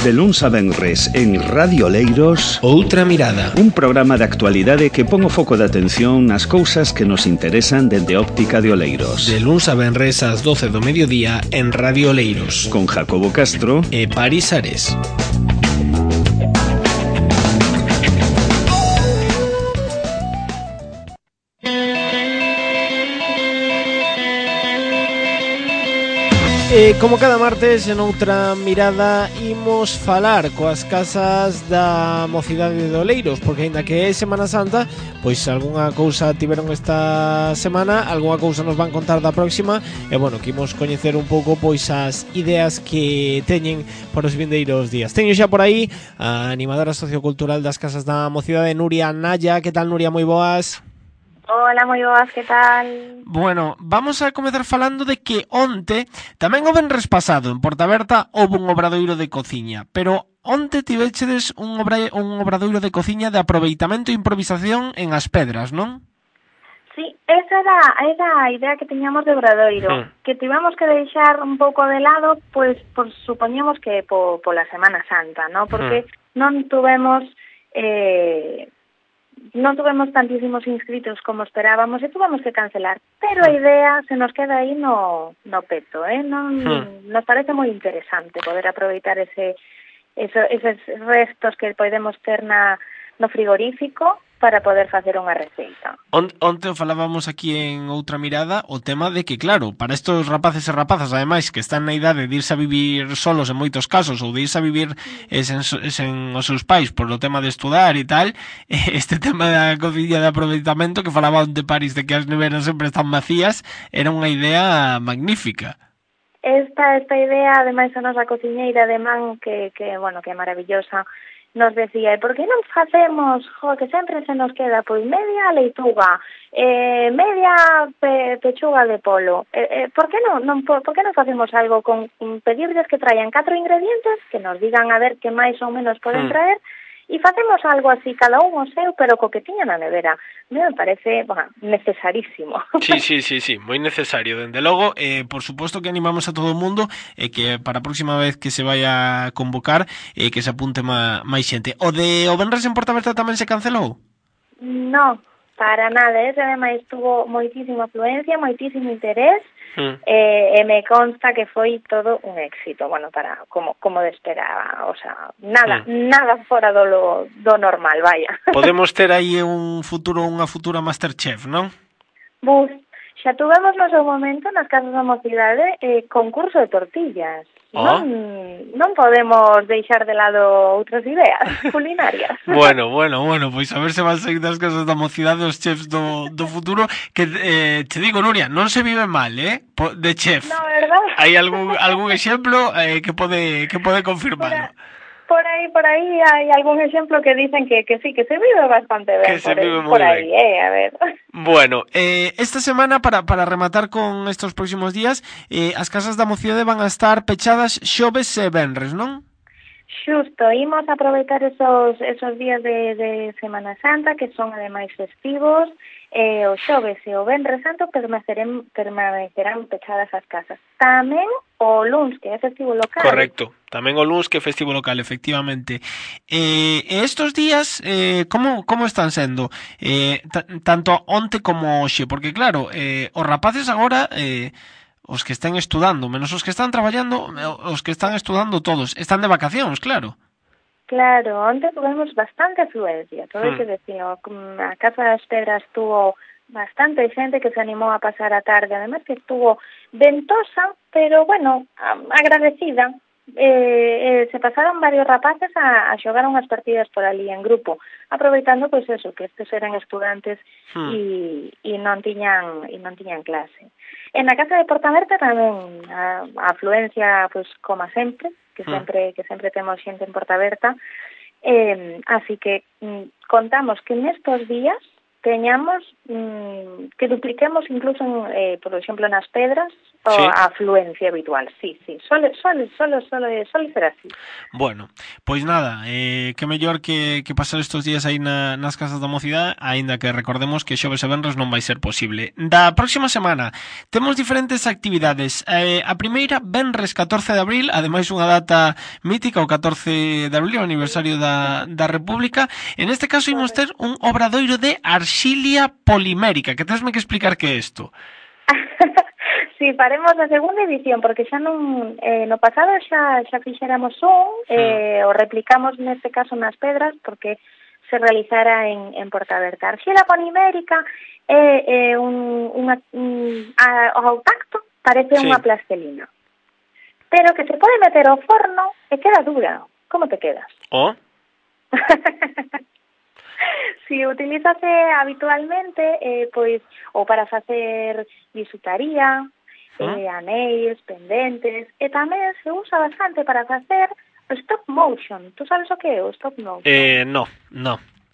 De luns a venres en Radio Oleiros, Outra Mirada, un programa de actualidade que pon o foco de atención nas cousas que nos interesan dende Óptica de Oleiros. de luns a venres ás 12 do mediodía en Radio Oleiros, Con Jacobo Castro e Paris Ares. Como cada martes, en Outra Mirada, imos falar coas casas da mocidade de Oleiros, porque aínda que é Semana Santa, pois algunha cousa tiveron esta semana, algunha cousa nos van contar da próxima, e bueno, que imos coñecer un pouco pois as ideas que teñen para os vindeiros días. Teño xa por aí a animadora sociocultural das casas da mocidade, Nuria Naya. Que tal, Nuria? Moi boas. Hola, moi boas, que tal? Bueno, vamos a comezar falando de que onte, tamén o venres pasado, en Portaberta, houve un obradoiro de cociña, pero onte tivechedes un obradoiro de cociña de aproveitamento e improvisación en As Pedras, non? Sí, esa era a idea que tiñamos de obradoiro, que tivemos que deixar un pouco de lado, pois supoñemos que pola Semana Santa, ¿no? Porque non tuvemos tantísimos inscritos como esperábamos e tuvemos que cancelar, pero a idea se nos queda aí no peto, nos parece moi interesante poder aproveitar eses restos que podemos ter no frigorífico para poder facer unha receita. Onte o falábamos aquí en Outra Mirada o tema de que, claro, para estos rapaces e rapazas, ademais, que están na idade de irse a vivir solos en moitos casos, ou de irse a vivir sen os seus pais por o tema de estudar e tal, este tema da cociña de aproveitamento que falaba onde París de que as neveras sempre están vacías, era unha idea magnífica. Esta idea, ademais, a nosa cociñeira de man, que é maravillosa, nos decía, por que non facemos, que sempre se nos queda, pois media leituga, media pechuga de polo, por que non facemos algo con pedirles que traian 4 ingredientes, que nos digan a ver que máis ou menos poden traer, e facemos algo así, cada un o seu, pero co que tiña na nevera. Me parece necesarísimo. Sí, moi necesario, dende logo. Por suposto que animamos a todo o mundo que para a próxima vez que se vaya a convocar que se apunte máis xente. O venres en Portaberta tamén se cancelou? No, para nada, ademais tuvo moitísima afluencia, moitísimo interés, e me consta que foi todo un éxito, como de esperaba, o sea, nada fora do normal, vaya. Podemos ter aí unha futura Masterchef, non? Bus, xa tuvemos no seu momento nas casas da mocidade concurso de tortillas. Non podemos deixar de lado outras ideas culinarias. Bueno, pois a ver se van sair das casas da mocidade os chefs do futuro, que te digo, Nuria, non se vive mal, de chef. No, verdad? Hai algún exemplo que pode confirmarlo. Por aí hai algún exemplo que dicen que sí, que se vive bastante ben. Que se vive moi ben. A ver. Bueno, esta semana, para rematar con estos próximos días, as casas da mocidade van a estar pechadas xoves e venres, non? Xusto, imos aproveitar esos días de Semana Santa, que son ademais festivos, o xoves e o venres santo permanecerán pechadas as casas. Tamén o luns, que é festivo local. Correcto, tamén o luns, que é festivo local, efectivamente. Estos días, como están sendo? Tanto onte como hoxe, porque claro, os rapaces agora... os que están estudando, menos os que están traballando, os que están estudando todos, están de vacacións, claro. Claro, onte tuvemos bastante afluencia, todo hai que decir, a Casa das Pedras tuvo bastante xente que se animou a pasar a tarde, además que estuvo ventosa, pero agradecida. Se pasaron varios rapaces a xogar unhas partidas por ali en grupo, aproveitando pois eso, que estes eran estudantes e non tiñan clase. En a Casa de Portaberta tamén a afluencia, pois como sempre, que sempre temos xente en Portaberta, así que contamos que nestos días teñamos que dupliquemos incluso, por exemplo, nas pedras, a afluencia habitual. Sí, sole ser así. Bueno, pois nada, que mellor que pasar estes días aí nas casas da mocidade, aínda que recordemos que xoves e venres non vai ser posible. Da próxima semana temos diferentes actividades. A primeira, venres 14 de abril, ademais unha data mítica, o 14 de abril, o aniversario da República. En este caso imos ter un obradoiro de arxilia polimérica, que tesme que explicar que é isto. Sí, faremos a segunda edición, porque xa non no pasado xa fixéramos o replicamos neste caso nas pedras, porque se realizara en Portaberta. A arxila polimérica é ao tacto parece unha plastelina, pero que se pode meter ao forno e queda dura. Como te quedas? Si utilízase habitualmente, pois, ou para facer bisutaría, anéis, pendentes, e tamén se usa bastante para facer stop motion. Tú sabes o que é o stop motion? No.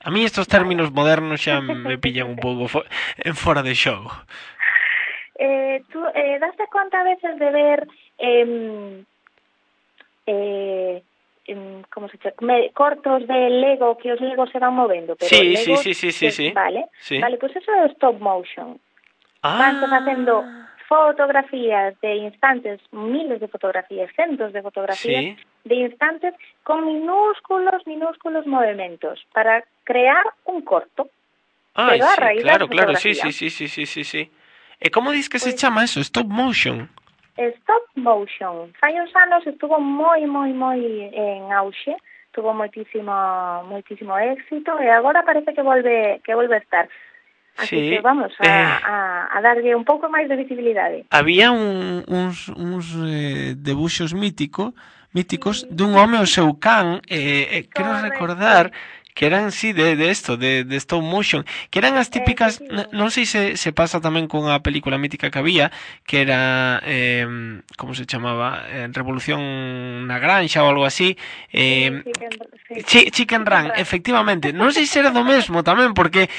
A mí estos términos modernos xa me pillan un pouco fora de xogo. Tú daste conta a veces de ver como se chama, cortos de Lego, que os Legos se van movendo, pero sí. Vale, pues eso é o stop motion. Van facendo fotografías de instantes, miles de fotografías, cientos de fotografías de instantes con minúsculos movimentos para crear un corto. Pero a raíz claro, sí. E como dis que se chama eso? Stop motion? Stop motion. Fai uns anos estuvo moi en auxe, tuvo moitísimo éxito e agora parece que volve a estar. Así que vamos a darlle un pouco máis de visibilidade. Había uns debuxos míticos dun home ao seu can, quero recordar que eran, de stop motion, que eran as típicas, non sei se pasa tamén con a película mítica que había, que era, como se chamaba, Revolución na Granxa ou algo así, Chicken Run, efectivamente. Non sei se era do mesmo tamén, porque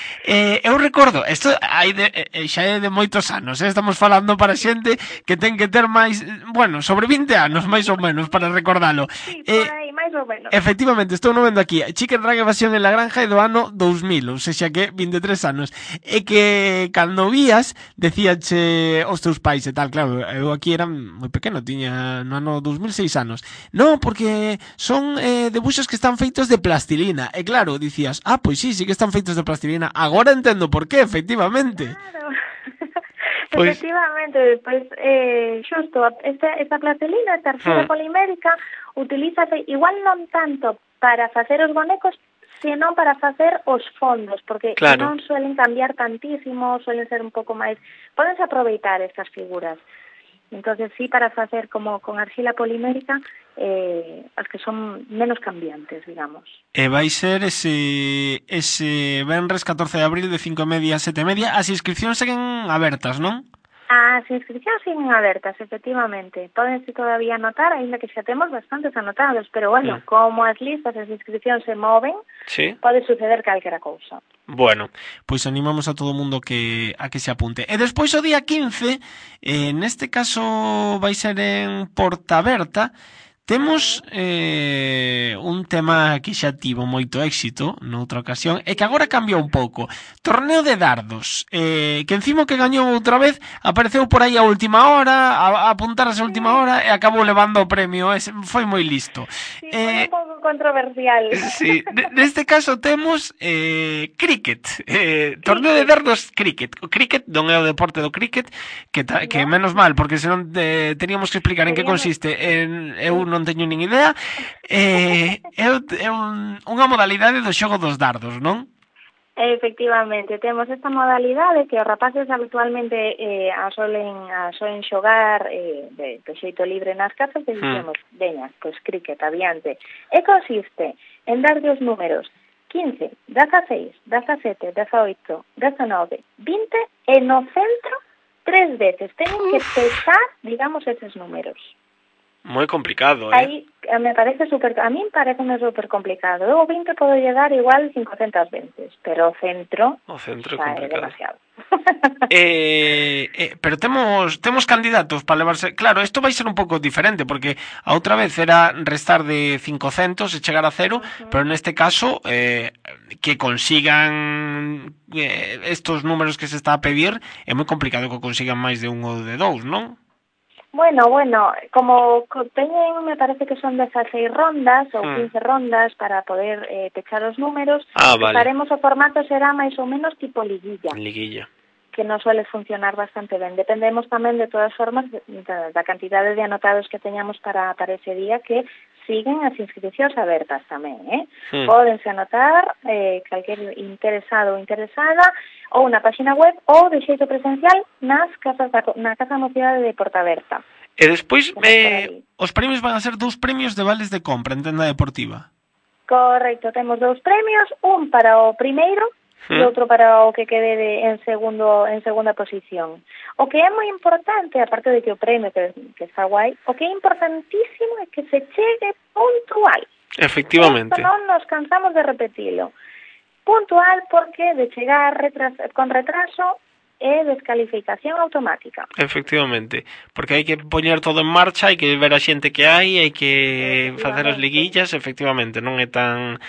eu recordo, isto xa é de moitos anos, estamos falando para xente que ten que ter máis, sobre 20 anos, máis ou menos, para recordalo. Sí, por aí, máis ou menos. Efectivamente, estou no vendo aquí, Chicken Run Evasión en la Granja é do ano 2000, ou seja que 23 anos. E que cando vías, decíache aos teus pais e tal, claro, eu aquí era moi pequeno, tiña no ano 2006 anos. Non, porque son debuxos que están feitos de plastilina. E claro, dicías, pois sí que están feitos de plastilina. Agora entendo por qué, efectivamente. Claro. Efectivamente, pois xusto, esta plastilina, esta arxila polimérica, utilízase igual non tanto para facer os bonecos, senón para facer os fondos, porque non suelen cambiar tantísimo, suelen ser un pouco máis, podense aproveitar estas figuras. Entonces sí, para facer como con arxila polimérica, as que son menos cambiantes, digamos. E vai ser ese venres 14 de abril de 5:30 a 7:30. As inscripcións seguen abertas, non? As inscripcións siguen abertas, efectivamente. Pódense todavía anotar, aínda que xa temos bastantes anotados, pero como as listas de inscripcións se moven, pode suceder calquera cousa. Bueno, pois animamos a todo o mundo a que se apunte. E despois o día 15, neste caso vai ser en Portaberta, temos un tema que xa tivo moito éxito noutra ocasión e que agora cambia un pouco. Torneo de dardos, que encima que gañou outra vez apareceu por aí a última hora, a apuntarse a última hora e acabou levando o premio. Foi moi listo. Sí, foi un pouco controversial. Sí, neste caso temos cricket, torneo de dardos cricket. O cricket non é o deporte do cricket, que menos mal, porque senón teníamos que explicar en que consiste. Eu non teño nin idea. É unha modalidade do xogo dos dardos, non? Efectivamente, temos esta modalidade que os rapaces habitualmente a solen xogar de xeito libre nas casas e dicemos, veña, pois cricket, adiante. E consiste en darlle os números 15, 16, 17, 18, 19, 20 e no centro 3 veces. Teñen que pesar, digamos, eses números. Moi complicado, Aí me parece a mí parece super complicado. Eu o 20 podo llegar igual 500 veces, pero o centro O centro é xa é complicado. demasiado. Pero temos candidatos para levarse. Claro, isto vai ser un pouco diferente, porque a outra vez era restar de 500 e chegar a cero, pero neste caso que consigan estos números que se está a pedir, é moi complicado que consigan máis de un ou de dous, non? Bueno, como teñen, me parece que son 16 rondas ou 15 rondas para poder pechar os números, Vale. Faremos o formato será máis ou menos tipo liguilla. Liguilla. Que non suele funcionar bastante ben. Dependemos tamén de todas formas da cantidade de anotados que teñamos para ese día, que siguen as inscripcións abertas tamén, Pódense anotar calquer interesado ou interesada ou na página web ou de xeito presencial na Casa da Mocidade de Portaberta. E despois os premios van a ser 2 premios de vales de compra en tenda deportiva. Correcto, temos 2 premios, un para o primeiro e outro para o que quede en segunda posición. O que é moi importante, aparte de que o premio que está guai, o que é importantísimo é que se chegue puntual. Efectivamente. Esto non nos cansamos de repetilo. Puntual porque de chegar con retraso é descalificación automática. Efectivamente, porque hai que poñer todo en marcha, hai que ver a xente que hai que facer as liguillas, efectivamente, non é tan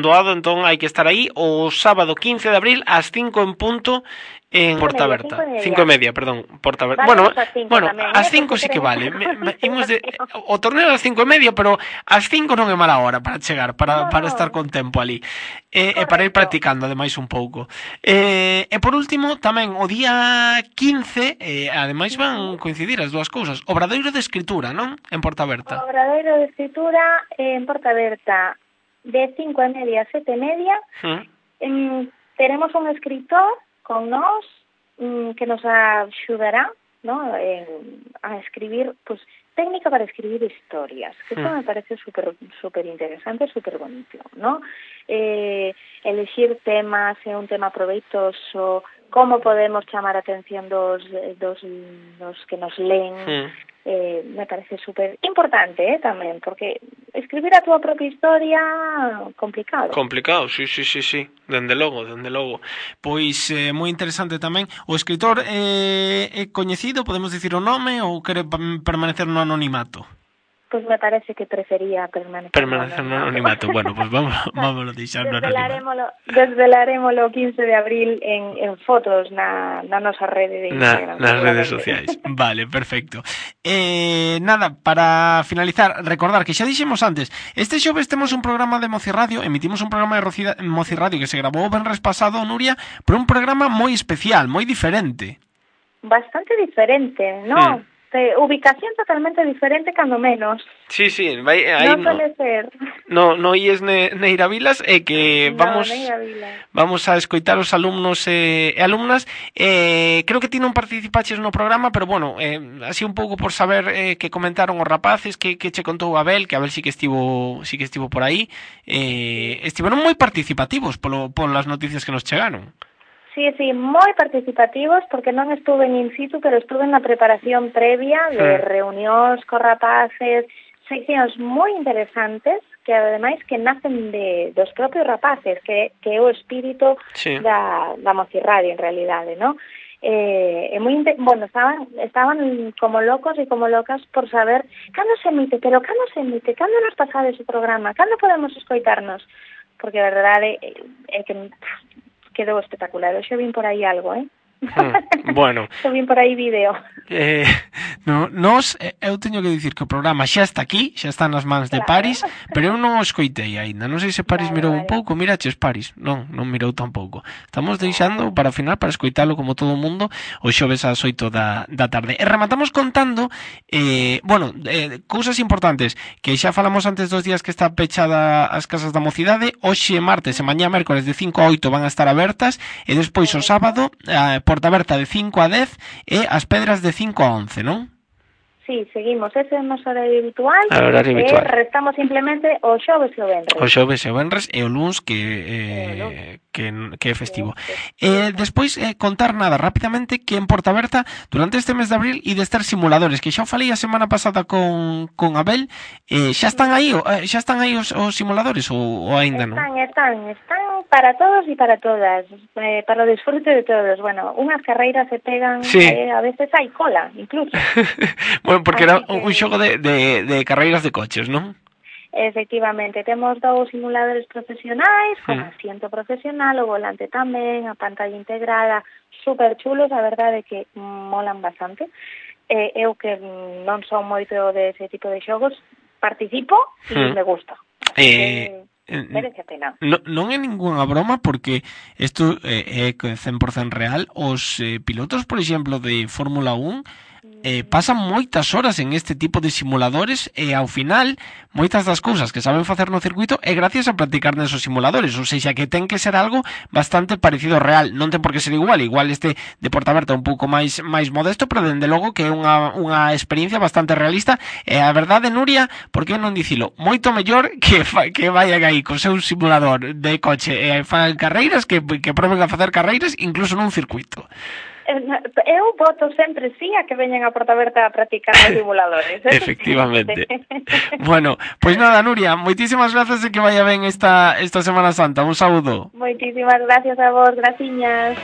doado, entón hai que estar aí o sábado 15 de abril ás 5 en punto en Portaberta. 5:30, perdón, Portaberta. Bueno, ás 5 sí que vale. O torneo ás 5:30, pero ás 5 non é mala hora para chegar, para estar con tempo ali. E para ir practicando ademais un pouco. E por último, tamén o día 15, ademais van coincidir as dúas cousas. Obradoiro de escritura, non? En Portaberta. Obradoiro de escritura en Portaberta de 5:30 a 7:30. Teremos un escritor con nós que nos axudará, ¿no? A escribir, pues, técnica para escribir historias, que eso me parece super interesante, super bonito, ¿no? Elegir temas, un tema proveitoso, como podemos chamar a atención dos que nos leen, me parece super importante tamén, porque escribir a túa propia historia complicado, sí, dende logo. Pois moi interesante tamén. O escritor é coñecido, podemos dicir o nome, ou quere permanecer no anonimato? Pues me parece que prefería permanecer no anonimato. Bueno, pues vamos a deixar no anonimato. Desvelarémolo o 15 de abril en fotos na nosa rede de Instagram. Nas redes sociais. Vale, perfecto. Nada, para finalizar, recordar que xa dixemos antes, este xoves temos un programa de Mocirradio, emitimos un programa de Mocirradio que se grabou o venres pasado, Nuria, pero un programa moi especial, moi diferente. Bastante diferente, ¿no? Ubicación totalmente diferente, cando menos. Sí, vai aí. Non suele ser. No ies Neira Vilas e que vamos a escoitar os alumnos e alumnas. Creo que ti non participaches no programa, pero bueno, así un pouco por saber que comentaron os rapaces, que che contou Abel, que Abel sí que estivo por aí. Estiveron moi participativos polas noticias que nos chegaron. Sí, moi participativos, porque non estuve in situ, pero estuve na preparación previa de reunións co rapaces, seccións moi interesantes, que ademais que nacen dos propios rapaces, que é o espírito da Mocirradio, en realidade, ¿no? Estaban como locos e como locas por saber cando se emite, cando nos pasades o programa, cando podemos escoitarnos, porque a verdade é que quedou espectacular. Eu xa vin por aí algo, Bueno. Eu vin por aí vídeo. Eu teño que dicir que o programa xa está aquí, xa está nas mans de Paris, pero eu non o escoitei aínda. Non sei se Paris mirou un pouco. Miraches Paris? Non mirou tampouco. Estamos deixando para o final, para escoitalo como todo o mundo, o xoves ás 8 da tarde. E rematamos contando cousas importantes que xa falamos antes dos días que está pechada as casas da Mocidade. Hoxe martes e mañá mércores de 5 a 8 van a estar abertas, e despois o sábado Portaberta de 5 a 10 e As Pedras de 5 a 11, non? Sí, seguimos ese noso horario habitual. Restamos simplemente o xoves e o venres. O xoves e o venres e o luns que é festivo. Despois, contar nada rapidamente que en Portaberta, durante este mes de abril, e de estar simuladores, que xa o falei a semana pasada con Abel, xa están aí os simuladores ou aínda non? Están para todos e para todas, para o disfrute de todos. Bueno, unhas carreiras se pegan, sí. A veces hai cola, incluso. Bueno, porque era un xogo de carreiras de coches, non? Efectivamente, temos 2 simuladores profesionais, con asiento profesional, o volante tamén, a pantalla integrada, super chulos, a verdade que molan bastante. Eu que non son moito dese tipo de xogos, participo e me gusta. Merece a pena. Non é ningunha broma, porque isto é 100% real. Os pilotos, por exemplo, de Fórmula 1 pasan moitas horas en este tipo de simuladores e ao final moitas das cousas que saben facer no circuito é gracias a practicar nesos simuladores, ou seja, que ten que ser algo bastante parecido ao real. Non ten por que ser igual este de Portaberta un pouco máis modesto, pero dende logo que é unha experiencia bastante realista. E a verdade, Nuria, por que non dicilo, moito mellor que vayan aí co seu simulador de coche e fan carreiras que proben a facer carreiras incluso nun circuito. Eu voto sempre sí a que veñan a Portaberta a practicar os simuladores. Efectivamente. Bueno, pois nada, Nuria, moitísimas gracias e que vaya ben esta Semana Santa. Un saúdo. Moitísimas gracias a vos, graciñas.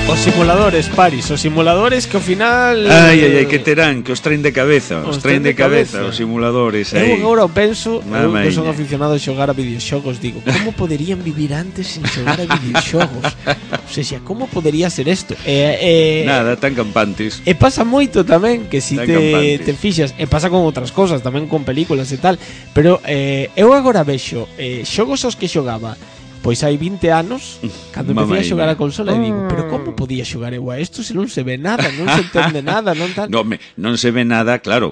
Os simuladores, Paris, os simuladores que ao final... Ai, que terán, que os traen de cabeza, os simuladores aí. Eu agora penso, eu que son aficionado a xogar a videoxogos, digo, como poderían vivir antes sin xogar a videoxogos? O sea, como podería ser isto? Nada, tan campantes. E pasa moito tamén, que si te fixas, e pasa con outras cosas, tamén con películas e tal, pero eu agora vexo xogos aos que xogaba pois hai 20 anos, cando empecé a xogar a consola, e digo, pero como podía xogar eu a isto se non se ve nada, non se entende nada, non tal? Non se ve nada, claro,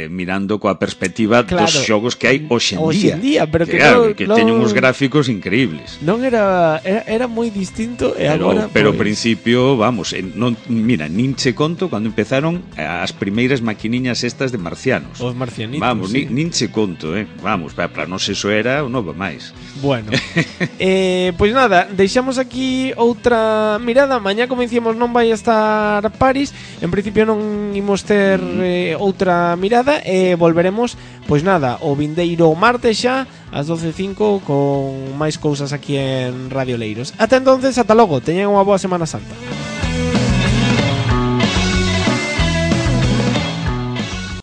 mirando coa perspectiva dos xogos que hai hoxe en día, pero que teñen uns gráficos increíbles. Non era moi distinto e agora... Pero ao principio, vamos, mira, nin che conto cando empezaron as primeiras maquiniñas estas de marcianos. Os marcianitos. Vamos, nin che conto, vamos, para nós eso era o novo máis. Bueno, pois nada, deixamos aquí outra mirada. Mañá, como dicíamos, non vai estar Paris. En principio non imos ter outra mirada. E volveremos, pois nada, o vindeiro martes xa ás 12:05 con máis cousas aquí en Radio Leiros. Ata entonces, ata logo, teñan unha boa Semana Santa.